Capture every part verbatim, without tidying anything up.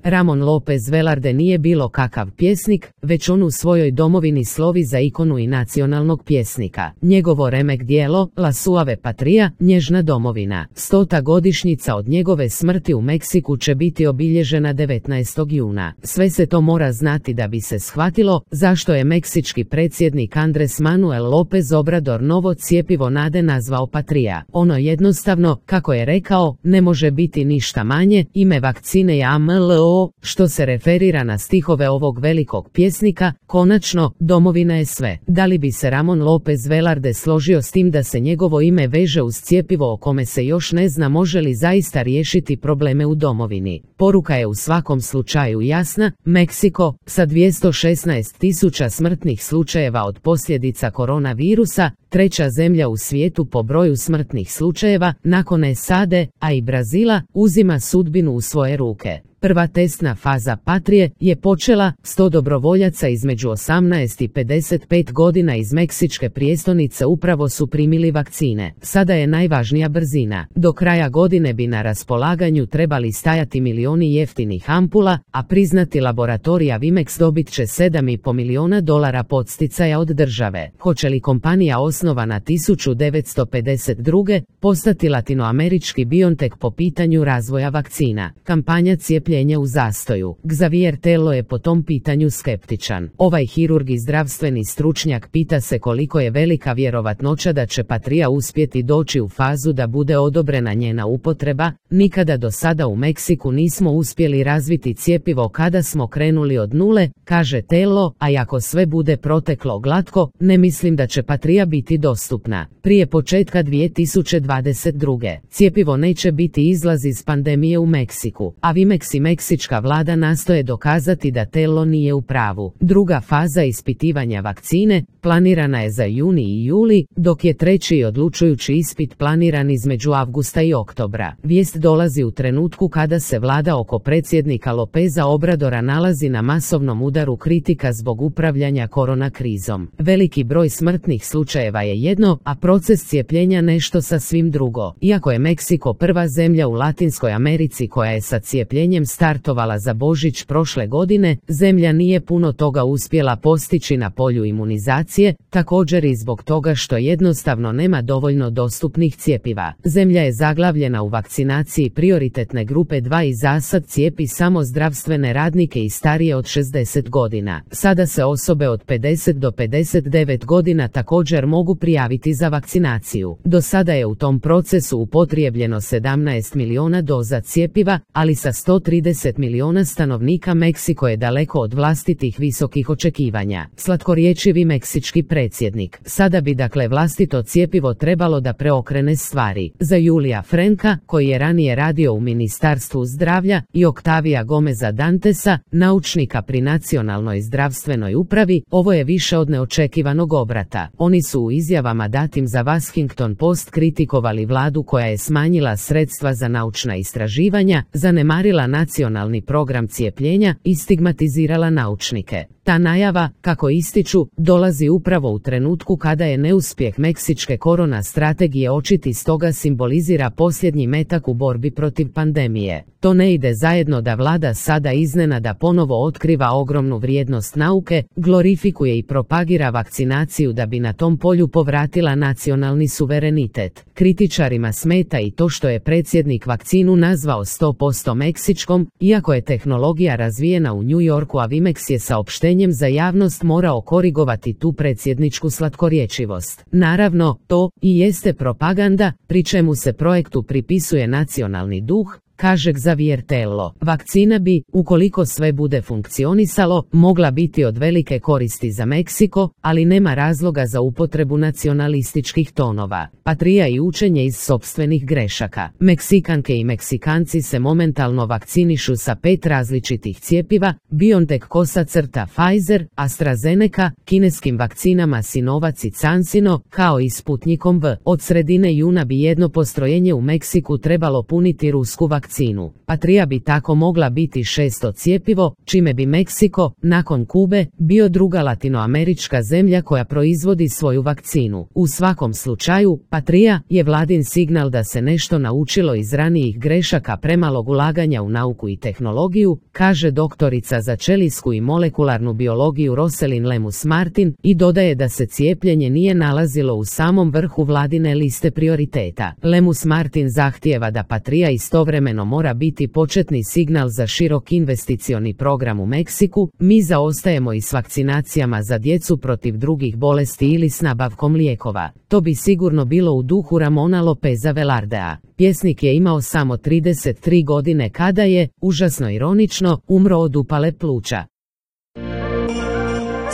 Ramon Lopez Velarde nije bilo kakav pjesnik, već on u svojoj domovini slovi za ikonu i nacionalnog pjesnika. Njegovo remek djelo, La Suave Patria, nježna domovina. Stota godišnjica od njegove smrti u Meksiku će biti obilježena devetnaestog juna. Sve se to mora znati da bi se shvatilo zašto je meksički predsjednik Andres Manuel López Obrador novo cjepivo nade nazvao Patria. Ono jednostavno, kako je rekao, ne može biti ništa manje, ime vakcine je A M L O, što se referira na stihove ovog velikog pjesnika, konačno, domovina je sve. Da li bi se Ramon López Velarde složio s tim da se njegovo ime veže uz cjepivo o kome se još ne zna može li zaista riješiti probleme u domovini? Poruka je u svakom slučaju jasna, Meksiko, sa dvjesto šesnaest tisuća smrtnih slučajeva od posljedica koronavirusa, treća zemlja u svijetu po broju smrtnih slučajeva, nakon S A D, a i Brazila, uzima sudbinu u svoje ruke. Prva testna faza Patrije je počela, sto dobrovoljaca između osamnaest i pedeset pet godina iz meksičke prijestolnice upravo su primili vakcine. Sada je najvažnija brzina. Do kraja godine bi na raspolaganju trebali stajati milioni jeftinih ampula, a priznati laboratorija Vimex dobit će sedam i pol miliona dolara podsticaja od države. Hoće li kompanija osnovana tisuću devetsto pedeset druge postati latinoamerički BioNTech po pitanju razvoja vakcina? Kampanja cijepljenja u zastoju. Xavier Tello je po tom pitanju skeptičan. Ovaj hirurg i zdravstveni stručnjak pita se koliko je velika vjerovatnoća da će Patria uspjeti doći u fazu da bude odobrena njena upotreba. Nikada do sada u Meksiku nismo uspjeli razviti cjepivo kada smo krenuli od nule, kaže Tello, a ako sve bude proteklo glatko, ne mislim da će Patria biti dostupna prije početka dvije tisuće dvadeset druge. Cjepivo neće biti izlaz iz pandemije u Meksiku, a Vimex i meksička vlada nastoje dokazati da Tello nije u pravu. Druga faza ispitivanja vakcine planirana je za juni i juli, dok je treći i odlučujući ispit planiran između avgusta i oktobra. Vijest dolazi u trenutku kada se vlada oko predsjednika Lopeza Obradora nalazi na masovnom udaru kritika zbog upravljanja korona krizom. Veliki broj smrtnih slučajeva je jedno, a proces cijepljenja nešto sasvim drugo. Iako je Meksiko prva zemlja u Latinskoj Americi koja je sa cijepljenjem startovala za Božić prošle godine, zemlja nije puno toga uspjela postići na polju imunizacije, također i zbog toga što jednostavno nema dovoljno dostupnih cjepiva. Zemlja je zaglavljena u vakcinaciji prioritetne grupe dva i zasad cijepi samo zdravstvene radnike i starije od šezdeset godina. Sada se osobe od pedeset do pedeset devet godina također mogu prijaviti za vakcinaciju. Do sada je u tom procesu upotrijebljeno sedamnaest miliona doza cjepiva, ali sa sto trideset miliona stanovnika Meksiko je daleko od vlastitih visokih očekivanja. Slatkorječivi meksički predsjednik. Sada bi dakle vlastito cjepivo trebalo da preokrene stvari. Za Julija Frenka, koji je ranije radio u Ministarstvu zdravlja, i Octavia Gomeza Dantesa, naučnika pri Nacionalnoj zdravstvenoj upravi, ovo je više od neočekivanog obrata. Oni su u izjavama datim za Washington Post kritikovali vladu koja je smanjila sredstva za naučna istraživanja, zanemarila nacionalni program cijepljenja i stigmatizirala naučnike. Ta najava, kako ističu, dolazi upravo u trenutku kada je neuspjeh meksičke korona strategije očit i stoga simbolizira posljednji metak u borbi protiv pandemije. To ne ide zajedno da vlada sada iznenada ponovo otkriva ogromnu vrijednost nauke, glorifikuje i propagira vakcinaciju da bi na tom polju povratila nacionalni suverenitet. Kritičarima smeta i to što je predsjednik vakcinu nazvao sto posto meksičkom, iako je tehnologija razvijena u New Yorku, a Vimex je saopštenjem za javnost morao korigovati tu predsjedničku slatkorječivost. Naravno, to i jeste propaganda, pri čemu se projektu pripisuje nacionalni duh, kaže Xavier Tello. Vakcina bi, ukoliko sve bude funkcionisalo, mogla biti od velike koristi za Meksiko, ali nema razloga za upotrebu nacionalističkih tonova. Patria i učenje iz sopstvenih grešaka. Meksikanke i Meksikanci se momentalno vakcinišu sa pet različitih cjepiva, BioNTech kosa crta Pfizer, AstraZeneca, kineskim vakcinama Sinovac i CanSino, kao i Sputnikom V. Od sredine juna bi jedno postrojenje u Meksiku trebalo puniti rusku vakcinu. vakcinu. Patria bi tako mogla biti šesto cjepivo, čime bi Meksiko, nakon Kube, bio druga latinoamerička zemlja koja proizvodi svoju vakcinu. U svakom slučaju, Patria je vladin signal da se nešto naučilo iz ranijih grešaka premalog ulaganja u nauku i tehnologiju, kaže doktorica za ćelijsku i molekularnu biologiju Rosalind Lemus Martin i dodaje da se cijepljenje nije nalazilo u samom vrhu vladine liste prioriteta. Lemus Martin zahtijeva da Patria istovremeno mora biti početni signal za širok investicioni program u Meksiku. Mi zaostajemo i s vakcinacijama za djecu protiv drugih bolesti ili s nabavkom lijekova. To bi sigurno bilo u duhu Ramona Lopeza Velardea. Pjesnik je imao samo trideset tri godine kada je, užasno ironično, umro od upale pluća.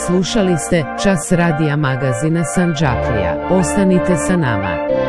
Slušali ste Čas radija magazina Sandžaklija. Ostanite sa nama.